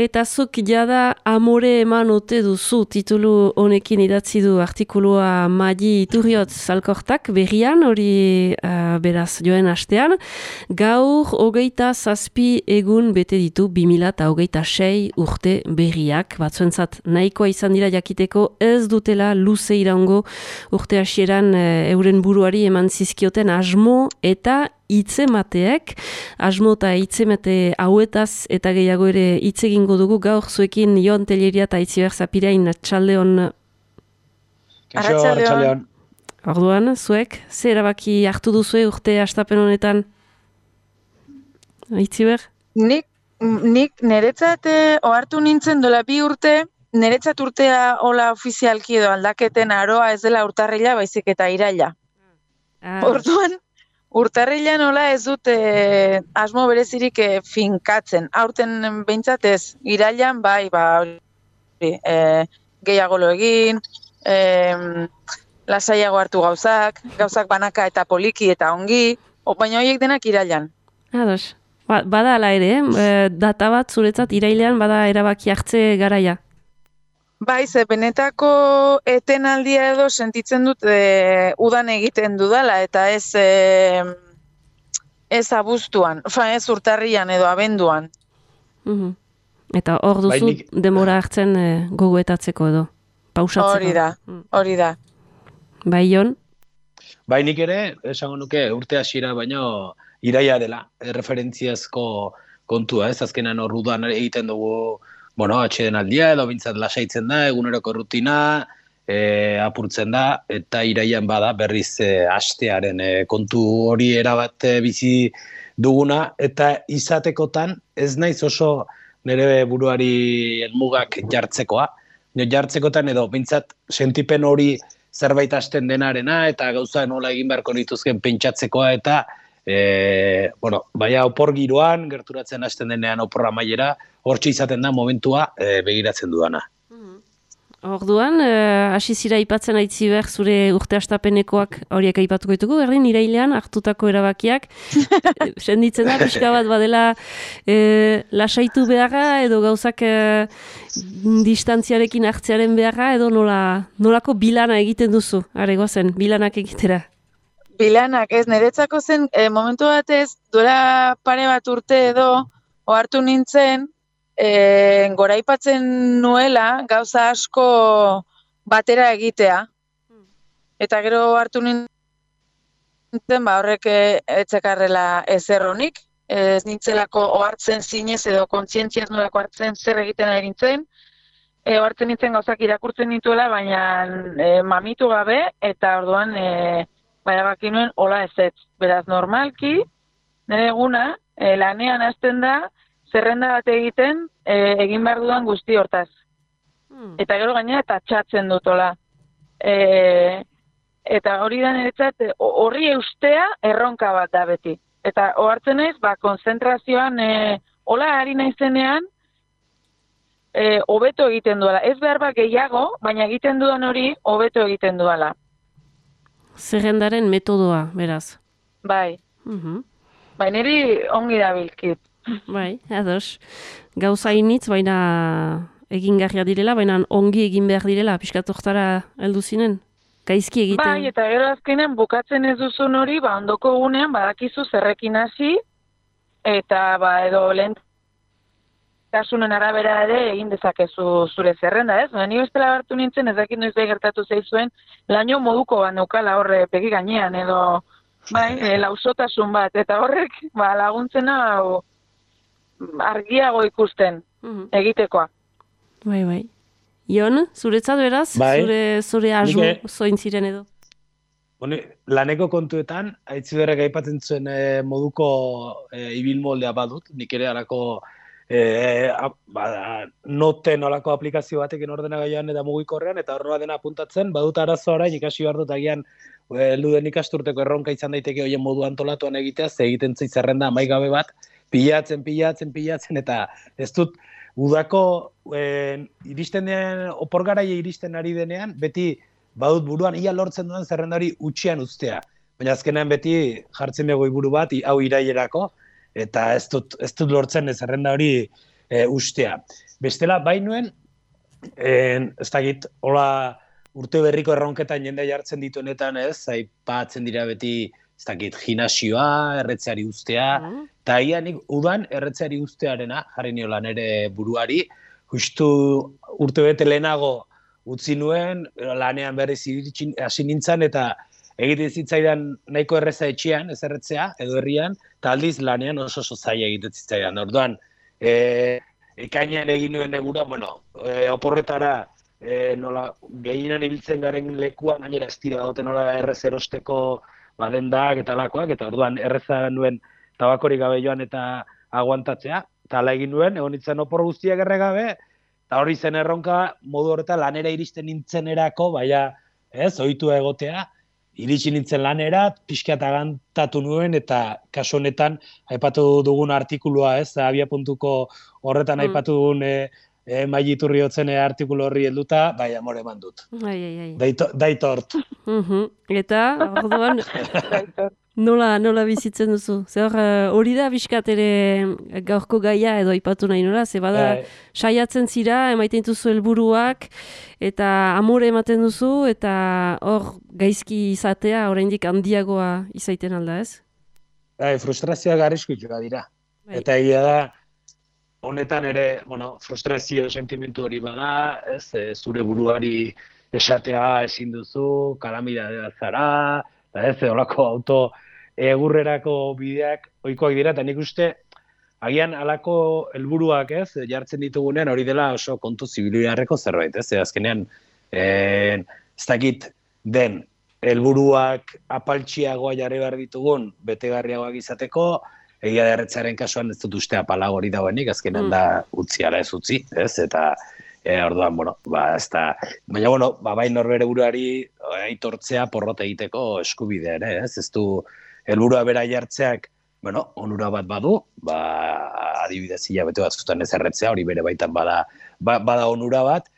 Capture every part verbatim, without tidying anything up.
eta zuk jada amore eman ote duzu titulu honekin idatzi du artikulua Madi Iturriotz Alkortak berrian, hori uh, beraz joen astean. Gaur hogeita zazpi egun bete ditu bi mila eta hogeita sei urte berriak. Batzuentzat nahikoa izan dira jakiteko ez dutela luze iraungo urte hasieran uh, euren buruari eman zizkioten asmo eta hitzemateek, asmo eta hitzemate hauetaz eta gehiago ere hitz egingo dugu gaur zuekin Jon Telleria eta Itziber Zapirain Arratsaldeon. Arratsaldeon. Orduan, zuek, ze erabaki hartu duzue urte hastapen honetan? Itziber? Nik, nik niretzat ohartu nintzen dola bi urte, niretzat urtea hola ofizialki edo aldaketen aroa ez dela urtarrila, baizik eta iraila. Ah. Orduan, urtarrilan nola ez dut eh, asmo berezirik eh, finkatzen. Aurten behintzat ez, irailan bai, ba, eh, gehiago lo egin, eh, lasaiago hartu gauzak, gauzak banaka eta poliki eta ongi, o, baina horiek denak irailan. Ados, ba, bada ala ere, eh? data bat zuretzat irailean bada erabaki hartze garaia. Bai, ze benetako etenaldia edo sentitzen dut e, udan egiten dudala, eta ez e, ez abuztuan, fa ez urtarrian edo abenduan. Uhum. Eta hor duzu Bainik... demora hartzen e, gogoetatzeko edo, pausatzeko. Hori da, hori da. Bai, Jon? Bai, nik ere, esango nuke urte hasiera baino iraia dela, erreferentziazko kontua, ez azkenan hor udan egiten dugu bueno, atxeden aldia edo bintzat lasaitzen da, eguneroko rutina, e, apurtzen da, eta iraian bada berriz e, astearen e, kontu hori erabat e, bizi duguna, eta izatekotan ez naiz oso nire buruari helmugak jartzekoa. No, jartzekotan edo bintzat sentipen hori zerbait hasten denarena, eta gauza nola egin beharko dituzken pentsatzekoa, eta E, bueno, baina opor giroan, gerturatzen hasten denean oporra mailera, hortxe izaten da momentua e, begiratzen dudana. Orduan, hasi zira aipatzen Aitziber zure urte hastapenekoak horiek aipatuko ditugu, berdin irailean hartutako erabakiak, senditzen da pixka bat badela e, lasaitu beharra edo gauzak e, distantziarekin hartzearen beharra edo nola, nolako bilana egiten duzu, are goazen, bilanak egitera. Bilanak, ez, niretzako zen, e, momentu batez, duela pare bat urte edo, ohartu nintzen, e, goraipatzen nuela gauza asko batera egitea. Eta gero hartu nintzen, ba, horrek etzekarrela ezer honik, ez nintzelako ohartzen zinez edo kontzientziaz nolako hartzen zer egiten ari nintzen, e, ohartzen nintzen gauzak irakurtzen nituela, baina e, mamitu gabe, eta orduan, e, baina baki nuen, hola ez ez. Beraz, normalki, nire eguna, e, lanean hasten da, zerrenda bat egiten, e, egin behar dudan guzti hortaz. Hmm. Eta gero gainera, eta txatzen dut, hola. E, eta hori da niretzat, horri eustea erronka bat da beti. Eta ohartzen naiz, ba, konzentrazioan, e, hola ari naizenean, e, hobeto egiten duela. Ez behar bat gehiago, baina egiten dudan hori, hobeto egiten duela. Zerrendaren metodoa, beraz. Bai. Uhum. Bai, niri ongi da bilkit. Bai, ados. Gauza initz, baina egingarria direla, baina ongi egin behar direla, pixkat hortara heldu zinen. Gaizki egiten. Bai, eta gero azkenean bukatzen ez duzun hori, ba, ondoko gunean, badakizu zerrekin hasi, eta ba, edo lehen kasunen arabera ere egin dezakezu zure zerrenda, ez? Ni bestela hartu nintzen, ez dakit noiz gertatu zaizuen, laino moduko bat neukala horre pegi gainean, edo bai, e, lausotasun bat, eta horrek ba, laguntzena o, argiago ikusten egitekoa. Bai, bai. Jon, zuretzat beraz? Bai. Zure, zure asmo Nike... zoin ziren edo? Bueno, laneko kontuetan, Aitziberrek aipatzen zuen e, moduko e, ibilmoldea badut, nik ere alako E, ba, noten olako aplikazio batekin ordenagailuan eta mugikorrean, eta horrela dena apuntatzen, badut arazo orain ikasi behar dut agian heldu den ikasturteko erronka izan daiteke hoien modu antolatuan egitea, ze egiten zait zerrenda amaigabe bat, pilatzen, pilatzen, pilatzen, eta ez dut udako e, iristen den, opor garaia iristen ari denean, beti badut buruan ia lortzen duen zerrenda hori utxian uztea. Baina azkenean beti jartzen dugu iburu bat, hau irailerako, eta ez dut, ez dut lortzen zerrenda hori e, ustea. Bestela, bainuen, en, ez dakit, hola urte berriko erronketan jende jartzen dituenetan, ez, aipatzen dira beti, ez dakit, gimnasioa, erretzeari ustea, eta mm. ia nik udan erretzeari ustearena, jarri niola nere buruari, justu urte bete lehenago utzi nuen, lanean berriz hasi nintzen, eta egiten zitzaidan nahiko erreza etxean, ez erretzea, edo herrian, eta aldiz lanean oso oso zaila egiten zitzaidan. Orduan, e, ekainean egin nuen egura, bueno, e, oporretara, e, nola, gehienan ibiltzen garen lekuan, gainera ez dira dote nola errez erosteko badendak eta lakoak, eta orduan erreza nuen tabakorik gabe joan eta aguantatzea, eta ala egin nuen, egon nintzen opor guztiak erregabe, eta hori zen erronka modu horretan lanera iristen nintzenerako, baina ez, ohitua egotea, iritsi nintzen lanera, pixka eta gantatu nuen, eta kasu honetan aipatu dugun artikulua, ez, abia.ko horretan mm. aipatu dugun e, e, Maili Iturriotzen artikulu horri helduta, bai amore eman dut. Ai, ai, ai. Daito, daitort. Uh-huh. Eta, orduan, nola, nola bizitzen duzu? Zer hori da bizkat ere gaurko gaia edo aipatu nahi nola, ze bada bai. Saiatzen zira, emaiten duzu helburuak, eta amore ematen duzu, eta hor gaizki izatea oraindik handiagoa izaiten alda, ez? Bai, frustrazioa garrizkutsua dira. Bai. Eta egia da, honetan ere, bueno, frustrazio sentimentu hori bada, ez, e, zure buruari esatea ezin duzu, kalamidadea zara, eta ez, olako auto egurrerako bideak ohikoak dira, eta nik uste, agian halako helburuak ez, jartzen ditugunean hori dela oso kontu zibilbidearreko zerbait, ez, azkenean, e, ez dakit den, helburuak apaltxiagoa jarri behar ditugun, betegarriagoak izateko, egia da erretzaren kasuan ez dut uste apalago hori dagoenik, azkenean mm. da utzi ala ez utzi, ez, eta e, orduan, bueno, ba, ez da, baina, bueno, ba, bai norbere buruari aitortzea porrot egiteko eskubidea ere, ez, ez du helburua bera jartzeak, bueno, onura bat badu, ba, adibidez hilabete batzutan ez erretzea, hori bere baitan bada, ba, bada onura bat,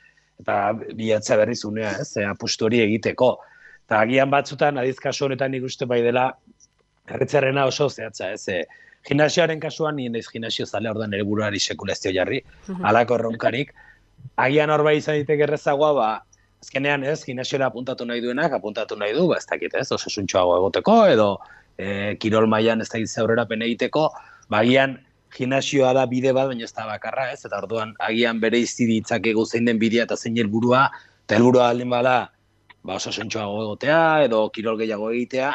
eta bilatzea berriz unea, ez, apustu hori egiteko. Eta agian batzutan, adiz kasu honetan nik uste bai dela, erretzearena oso zehatza, ez, e, gimnasioaren kasuan, nien ez gimnasio zale, ordan ere buruari sekulazio jarri, alako erronkarik, agian hor bai izan ditek errezagoa, ba, azkenean ez, gimnasiora apuntatu nahi duenak, apuntatu nahi du, ba, ez dakit ez, oso suntxoago egoteko, edo e, kirol mailan ez dakit aurrerapen egiteko, ba, agian gimnasioa da bide bat, baina ez da bakarra, ez, eta orduan agian bere izti ditzakegu zein den bidea eta zein helburua, eta helburua aldin bada, ba, oso suntxoago egotea, edo kirol gehiago egitea,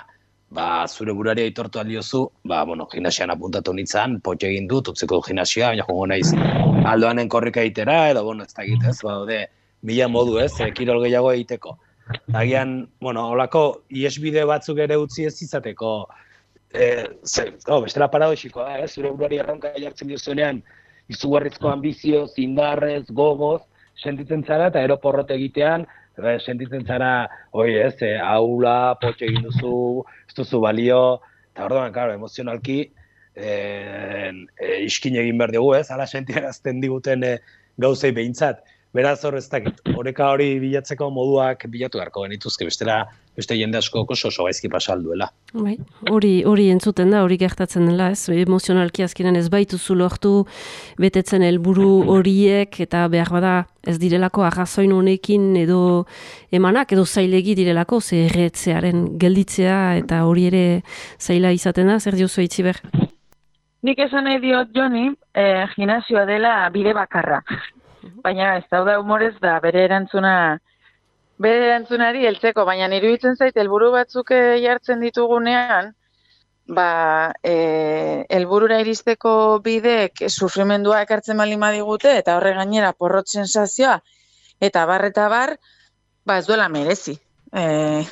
ba, zure burari aitortu aldiozu, ba, bueno, gimnasian apuntatu nintzen, potxe egin dut, utzeko gimnasioa, baina jongo naiz aldoanen korrika egitera, edo, bueno, ez da egitez, ba, ode, mila modu ez, e, kirol gehiago egiteko. Agian, bueno, holako iesbide batzuk ere utzi ez izateko, e, ze, oh, bestela paradoxikoa da, ez, zure burari erronka jartzen diozunean, izugarrizko ambizio, zindarrez, gogoz, sentitzen zara, eta ero porrot egitean, sentitzen zara, oi ez, e, aula, potxe egin duzu, ez duzu balio, eta orduan, claro, emozionalki, e, e, iskin egin behar dugu, ez, ala sentiarazten diguten e, gauzei behintzat. Beraz hor ez dakit, oreka hori bilatzeko moduak bilatu beharko genituzke, bestela, beste jende asko oso oso gaizki pasalduela. Bai, hori hori entzuten da, hori gertatzen dela, ez, emozionalki azkenan ez baituzu lortu betetzen helburu horiek, eta behar bada ez direlako arrazoin honekin edo emanak, edo zailegi direlako, ze erretzearen gelditzea, eta hori ere zaila izaten da, zer diozu Itziber? Nik esan nahi diot, Joni, eh, gimnasioa dela bide bakarra. Baina ez dauda humorez da bere erantzuna bere erantzunari heltzeko, baina iruditzen zait helburu batzuk jartzen ditugunean, ba, eh, helburura iristeko bidek sufrimendua ekartzen baldin badigute eta horre gainera porrot sensazioa eta bar eta bar, ba ez duela merezi. Eh,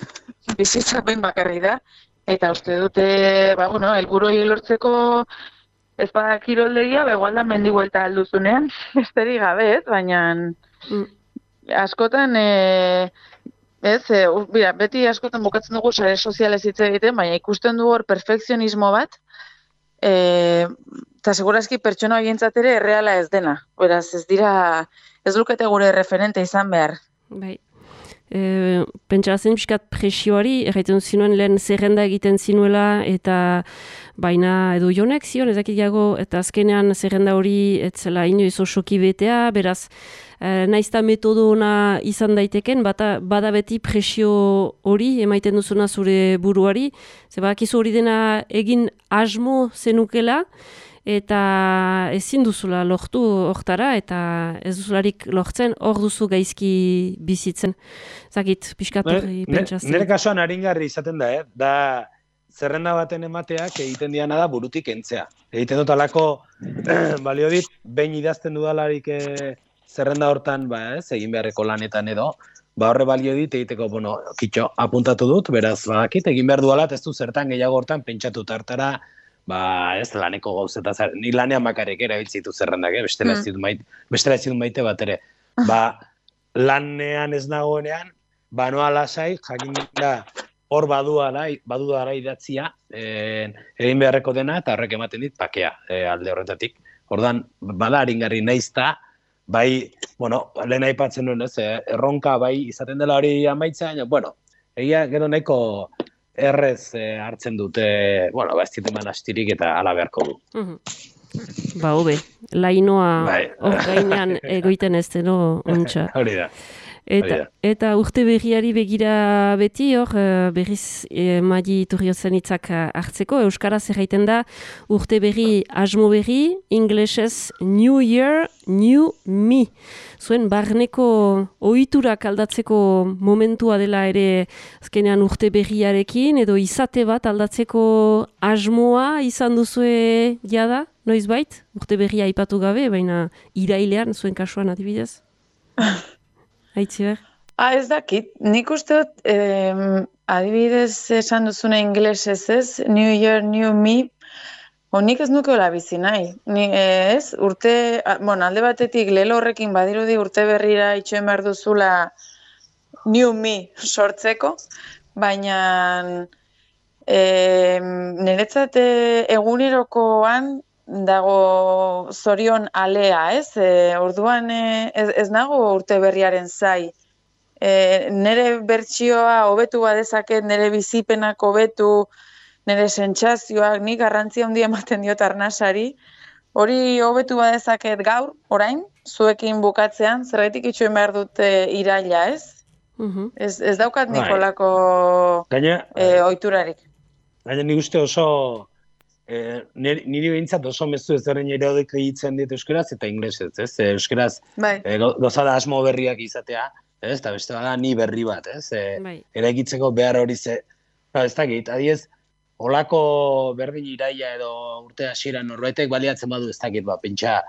bizitza behin bakarri da eta uste dute, ba bueno, helburu hori lortzeko ez bada kiroldegia, begoalda mendi buelta alduzunean, besterik gabe, ez, baina mm. askotan, e, ez, e, bira, beti askotan bukatzen dugu sare sozialez hitz egiten, baina ikusten du hor perfekzionismo bat, eta segurazki pertsona horientzat ere erreala ez dena. Beraz, ez dira, ez lukete gure referente izan behar. Bai. E, pentsatzen pixkat presioari, erraiten zinuen lehen zerrenda egiten zinuela, eta baina edo jonek zion, ezakit jago, eta azkenean zerrenda hori etzela inoiz osoki betea, beraz, e, naizta metodo ona izan daiteken, bata, bada beti presio hori, emaiten duzuna zure buruari, ze badakizu hori dena egin asmo zenukela, eta ezin duzula lortu hortara, eta ez duzularik lortzen, hor duzu gaizki bizitzen. Zakit, pixkat hori pentsatzen. Nire kasuan aringarri izaten da, eh? Da, zerrenda baten emateak egiten diana da burutik entzea. Egiten dut alako, balio dit, behin idazten dudalarik eh, zerrenda hortan, ba, ez, egin beharreko lanetan edo, ba horre balio dit egiteko, bueno, kitxo, apuntatu dut, beraz, badakit, egin behar dualat, ez du zertan gehiago hortan pentsatu tartara, ba, ez, laneko gauzeta, ni lanean bakarrik erabiltzitu zerrendak, eh? bestela ez dut maite, bestela ez dut maite bat ere. Ba, lanean ez nagoenean, ba, noa lasai, jakin da, hor baduara, baduara idatzia, eh, egin beharreko dena, eta horrek ematen dit, pakea, eh, alde horretatik. Ordan bada aringarri naizta, bai, bueno, lehen aipatzen nuen, ez, eh, erronka bai izaten dela hori amaitzea, baina, bueno, egia gero nahiko errez eh, hartzen dute, bueno, ba, ez diteman astirik eta ala beharko du. Mm-hmm. Ba, hobe, lainoa hor gainean egoiten ez deno ontsa. Hori da. Eta, eta urte berriari begira beti, hor, berriz e, Madi Iturriotzen hitzak hartzeko, euskaraz erraiten da, urte berri asmo berri, inglesez New Year, New Me. Zuen barneko ohiturak aldatzeko momentua dela ere azkenean urte berriarekin, edo izate bat aldatzeko asmoa izan duzue jada, noizbait? Urte berria aipatu gabe, baina irailean, zuen kasuan adibidez? Aitziber? Ah, ez dakit. Nik uste dut, eh, adibidez esan duzuna inglesez ez, New Year, New Me, honik ez nuke hola bizi nahi. Ni, ez, urte, bueno, alde batetik lelo horrekin badirudi urte berrira itxoen behar duzula New Me sortzeko, baina eh, niretzat egunerokoan dago zorion alea, ez? E, orduan e, ez, ez nago urte berriaren zai. E, nere bertsioa hobetu badezaket, nere bizipenak hobetu, nere sentsazioak, nik garrantzia handia ematen diot arnasari, hori hobetu badezaket gaur, orain, zuekin bukatzean, zergaitik itxoen behar dute iraila, ez? Uh-huh. Ez, ez daukat nikolako e, oiturarik. Gaina nik uste oso Eh, niri behintzat oso mezu ezaren iraudeko hitzen dit euskaraz eta inglesez, ez? Euskaraz bai. eh, gozada asmo berriak izatea, ez? Eta beste bada ni berri bat, ez? Eh, bai. Eraikitzeko behar hori ze, no, ez dakit, adiez, olako berdin iraia edo urte hasiera norbaitek baliatzen badu ez dakit, ba, pentsa,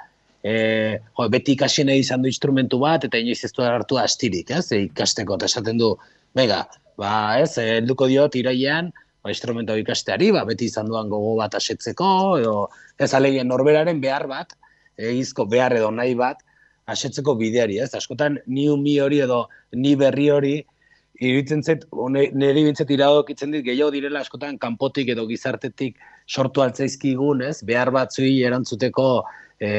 eh, jo, beti ikasien izan du instrumentu bat eta inoiz ez du hartu astirik, ez? E, ikasteko, eta esaten du, bega, ba, ez, helduko diot irailean, instrumento ikasteari, ba, beti izan duan gogo bat asetzeko, edo ez alegien norberaren behar bat, egizko behar edo nahi bat, asetzeko bideari, ez? Askotan, ni umi hori edo ni berri hori, iruditzen zait, niri bintzat iradokitzen dit, gehiago direla askotan kanpotik edo gizartetik sortu altzaizkigun, ez? Behar batzui erantzuteko e,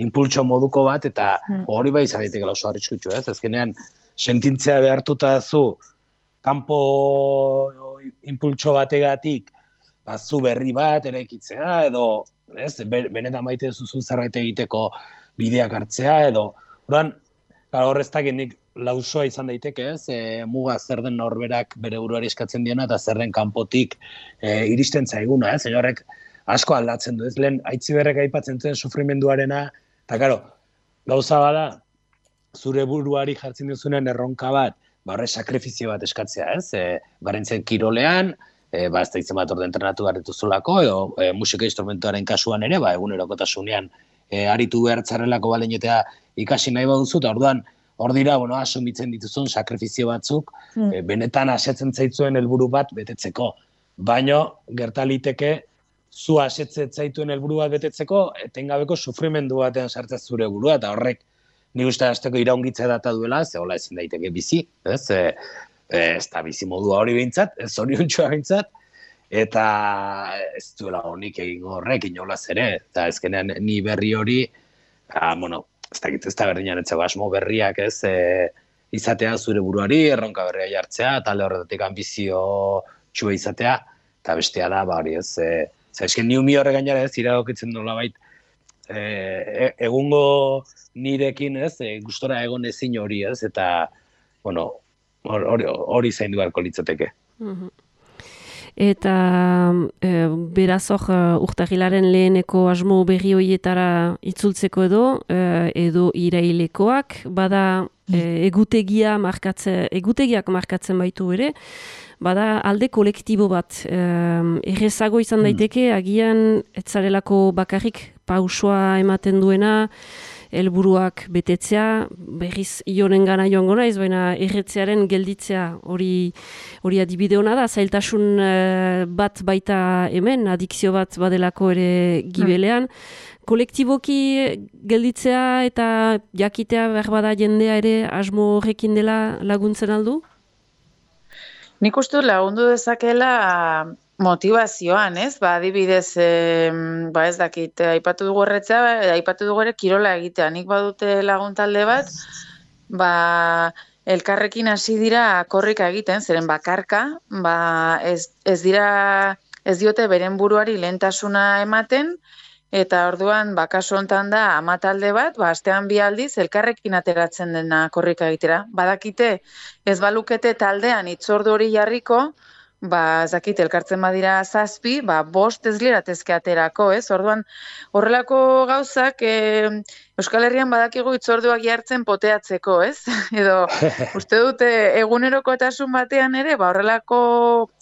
impultso moduko bat, eta hori bai izan daiteke oso arriskutsu, ez? Azkenean, sentintzea behartuta zu, kanpo impultso bategatik zu berri bat eraikitzea, edo ez, benetan maite duzu zerbait egiteko bideak hartzea, edo oran, horreztak nik lausoa izan daiteke, ez, e, muga zer den norberak bere buruari eskatzen diena, eta zer den kanpotik e, iristen zaiguna, ez, horrek asko aldatzen du, ez, lehen Aitziberrek aipatzen zuen sufrimenduarena, eta karo, gauza bada, zure buruari jartzen duzunen erronka bat, ba horre sakrifizio bat eskatzea, ez? E, barentzen kirolean, e, ba ez da izan bat orde entrenatu garrituzulako, edo e, musika instrumentuaren kasuan ere, ba egunerokotasunean e, aritu behartzarrelako baleinotea ikasi nahi baduzu, eta orduan, hor dira, bueno, asumitzen dituzun sakrifizio batzuk, mm. e, benetan asetzen zaitzuen helburu bat betetzeko. Baino, gertaliteke, zu asetzen zaituen helburu bat betetzeko, etengabeko sufrimendu batean sartzea zure burua, eta horrek nik uste azteko iraungitza data duela, ze hola ezin daiteke bizi, ez? E, ez da bizi modua hori behintzat, ez hori ontsuak behintzat, eta ez duela honik egingo horrek, inolaz ere, eta ezkenean ni berri hori, ah, bueno, ez dakit ez da berdinan etzeko asmo berriak, ez? E, izatea zure buruari, erronka berria jartzea, talde horretatik ambizio txua izatea, eta bestea da, ba hori ez, e, esken ni umi horre gainera ez, iradokitzen nola bait, e, egungo nirekin ez, e, gustora egon ezin hori ez, eta, bueno, hori, hori zaindu beharko litzateke. Mhm. Eta e, beraz hor urtarrilaren leheneko asmo berri horietara itzultzeko edo, e, edo irailekoak, bada e, egutegia markatze, egutegiak markatzen baitu ere, bada alde kolektibo bat. E, errezago izan daiteke, agian etzarelako bakarrik pausoa ematen duena, helburuak betetzea, berriz ionen gana joango naiz, baina erretzearen gelditzea hori hori adibide hona da, zailtasun uh, bat baita hemen, adikzio bat badelako ere gibelean. Kolektiboki gelditzea eta jakitea behar bada jendea ere asmo horrekin dela laguntzen aldu? Nik uste lagundu dezakela motivazioan, ez? Ba, adibidez, e, ba ez dakit, aipatu dugu erretzea, aipatu dugu ere kirola egitea. Nik badute lagun talde bat, ba, elkarrekin hasi dira korrika egiten, zeren bakarka, ba, ez, ez dira, ez diote beren buruari lehentasuna ematen, eta orduan, ba, kasu hontan da, ama talde bat, ba, astean bi aldiz, elkarrekin ateratzen dena korrika egitera. Badakite, ez balukete taldean itzordu hori jarriko, ba, ez dakit, elkartzen badira zazpi, ba, bost ez liratezke aterako, ez? Orduan, horrelako gauzak, e, Euskal Herrian badakigu itzorduak jartzen poteatzeko, ez? Edo, uste dute egunerokotasun batean ere, ba, horrelako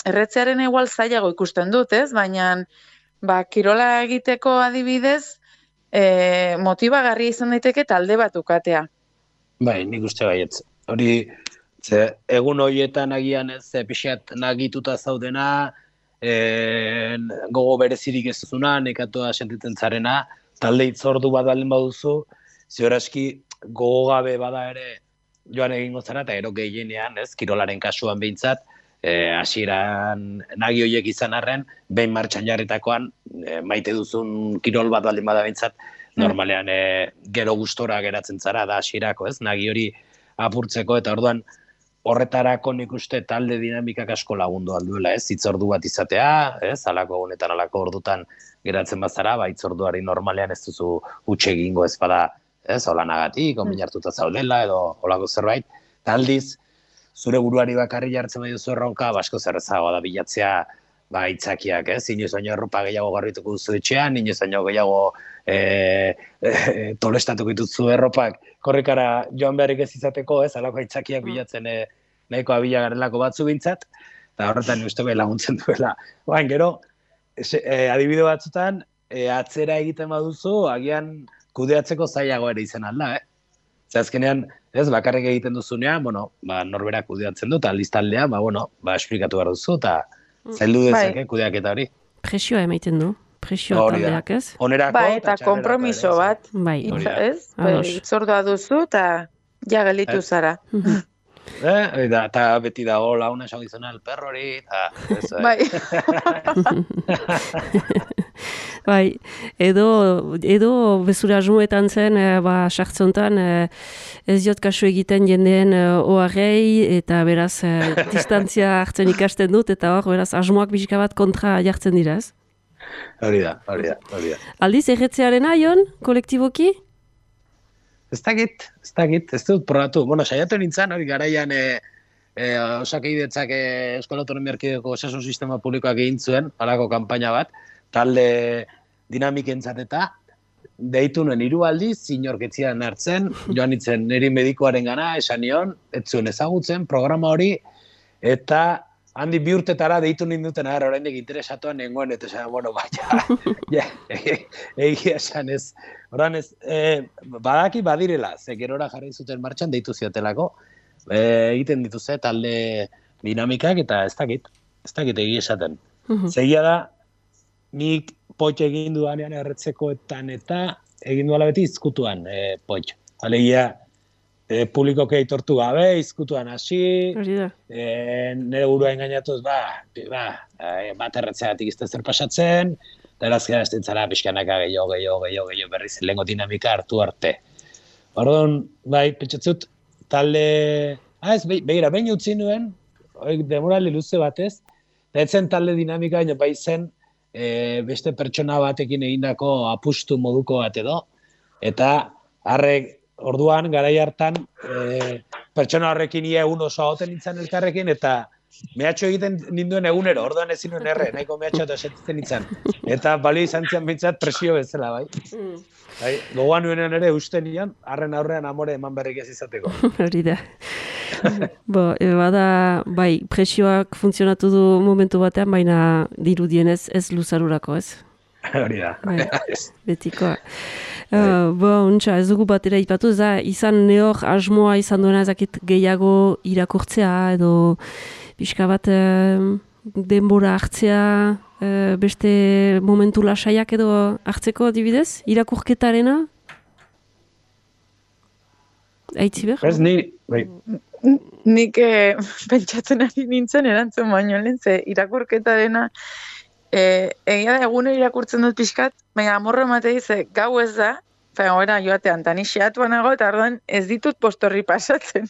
erretzearen igual zailago ikusten dut, ez? Baina, ba, kirola egiteko adibidez, e, motibagarri izan daiteke talde bat ukatea. Bai, nik uste baietz. Hori, ze, egun horietan agian ez, pixat nagituta zaudena, e, gogo berezirik ez duzuna, nekatua sentitzen zarena, talde itzordu bat baldin baduzu, zioraski gogo gabe bada ere joan egingo zara, eta ero gehienean, ez, kirolaren kasuan behintzat, E, hasieran nagi horiek izan arren, behin martxan jarritakoan, e, maite duzun kirol bat baldin bada behintzat, normalean e, gero gustora geratzen zara da hasierako, ez? Nagi hori apurtzeko, eta orduan horretarako nik uste talde dinamikak asko lagundu alduela, ez? Itzordu bat izatea, ez? Alako honetan, alako ordutan geratzen bazara, ba, itzorduari normalean ez duzu utxe egingo ez bada, ez? Holanagatik, onbin hartuta zaudela, edo holako zerbait, eta aldiz, zure buruari bakarri jartzen bai duzu erronka, basko zerrezagoa da bilatzea, ba, itzakiak, ez? Inoiz baino erropa gehiago garrituko duzu etxean, inoiz baino gehiago e, e, tolestatuko dituzu erropak korrikara joan beharrik ez izateko, ez? Alako itzakiak bilatzen e, nahiko abila garelako batzu bintzat, eta horretan uste bai laguntzen duela. Baina, gero, e, adibide batzutan, e, atzera egiten baduzu, agian kudeatzeko zailago ere izan alda, eh? Ze azkenean, ez, bakarrik egiten duzunean, bueno, ba, norberak kudeatzen du, eta listaldea, ba, bueno, ba, esplikatu behar duzu, eta zaildu dezake kudeaketa hori. Presioa emaiten du, presioa taldeak, ez? Onerako, ba, eta kompromiso bat, bai, ez? Itzordua duzu, eta ja gelditu zara. Eh, eta beti dago launa esan dizuna el perro hori, eta... Bai. Bai, edo, edo bezura asmoetan zen, e, ba, sartzontan, e, ez diot kasu egiten jendeen e, oharrei, eta beraz, e, distantzia hartzen ikasten dut, eta hor, beraz, asmoak bizika bat kontra jartzen dira, ez? Hori da, hori da, hori da. Aldiz, erretzearen aion, kolektiboki? Ez dakit, ez dakit, ez dut probatu. Bueno, saiatu nintzen, hori garaian e, e, osakeidetzak e, Euskal Autonomia Erkidegoko osasun sistema publikoak egin zuen, halako kanpaina bat, talde dinamikentzat eta deitu nuen hiru aldiz, inorketzian hartzen, joan nintzen niri medikoaren gana, esan nion, ez zuen ezagutzen, programa hori, eta handi bi urtetara deitu ninduten agar, oraindik interesatuan nengoen, eta esan, bueno, baina, ja, egia esan ez. Horan ez, e, badaki badirela, ze gerora jarri zuten martxan deitu ziotelako, e, egiten dituzte talde dinamikak, eta ez dakit, ez dakit egia esaten. Zegia da, nik potx egin dudanean erretzekoetan eta egin duela beti izkutuan e, potx. Alegia, e, publikoke aitortu gabe, izkutuan hasi, e, nire burua engainatuz, ba, ba, e, bat erretzeagatik izte zer pasatzen, eta erazkera ez dintzara pixkanaka gehiago, gehiago, gehiago, gehiago berriz lehengo dinamika hartu arte. Orduan, bai, pentsatzut, talde... Ah, ez, begira, behin utzi nuen, demorali luze batez, eta etzen talde dinamika, baina bai zen, e, beste pertsona batekin egindako apustu moduko bat edo, eta harrek, orduan, garai hartan, e, pertsona horrekin ia egun oso agoten nintzen elkarrekin, eta mehatxo egiten ninduen egunero, orduan ezin nuen erre, nahiko mehatxo eta sentitzen nintzen. Eta balio izan zian bintzat presio bezala, bai. Bai, gogoan nuenean ere uste nion, harren aurrean amore eman berrik ez izateko. Hori da. Bo, e, bada, bai, presioak funtzionatu du momentu batean, baina dirudienez ez luzarurako, ez? Hori da. Bai, betikoa. Uh, bo, untxa, ez dugu batera ipatu, ez da, izan neor asmoa izan duena ezakit gehiago irakurtzea, edo pixka bat uh, denbora hartzea, uh, beste momentu lasaiak edo hartzeko adibidez, irakurketarena? Aitziber? Ez, ni, bai. Nik eh, pentsatzen ari nintzen erantzun baino lehen, ze irakurketarena E, egia da egunero irakurtzen dut pixkat, baina amorro ematei ze gau ez da, baina gara joatean, tani xeatuan nago, eta orduan ez ditut postorri pasatzen.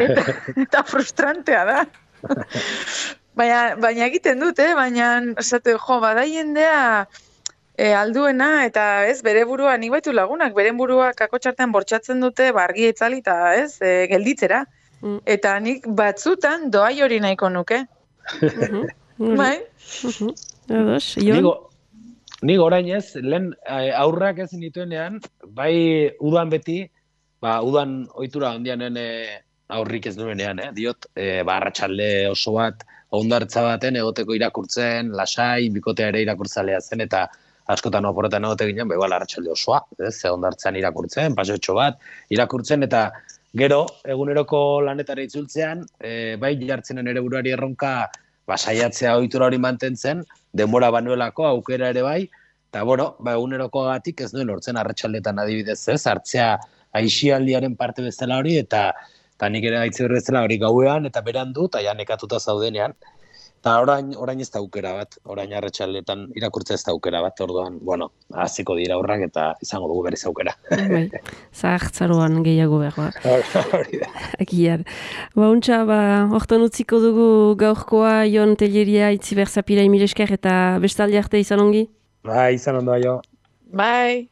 eta, eta frustrantea da. baina, baina egiten dut, eh? baina esate, jo, bada jendea e, alduena, eta ez, bere burua, nik baitu lagunak, bere burua kakotxartean bortxatzen dute, bargi etzali, eta ez, e, gelditzera. Mm. Eta nik batzutan doai hori nahiko nuke. Bai? Uh-huh. Ados, Ion? Nik orain ez, lehen aurrak ez nituenean, bai udan beti, ba udan ohitura handianen e, aurrik ez nuenean, eh? diot, e, ba arratsalde oso bat, hondartza baten egoteko irakurtzen, lasai, bikotea ere irakurtzalea zen, eta askotan oporretan egote ginen, ba igual arratsalde osoa, ez, hondartzan irakurtzen, paseotxo bat, irakurtzen, eta gero, eguneroko lanetara itzultzean, e, bai jartzenen ere buruari erronka, ba, saiatzea ohitura hori mantentzen, denbora banuelako, aukera ere bai, eta, bueno, ba, eguneroko gatik ez nuen hortzen arratsaldetan adibidez ez, hartzea aisialdiaren parte bezala hori, eta, eta nik ere gaitze bezala hori gauean, eta beran du, eta ja nekatuta zaudenean. Eta orain, orain ez da aukera bat, orain arratsaldetan irakurtza ez da aukera bat, orduan, bueno, hasiko dira aurrak eta izango dugu berriz aukera. Bai, zahartzaroan gehiago behar. Hori da. Akiar. Ba, untxa, ba, hortan utziko dugu gaurkoa, Jon Telleria, Itziber Zapira, Emil Esker, eta bestaldi arte izan ongi? Bai, izan ondo, jo. Bai.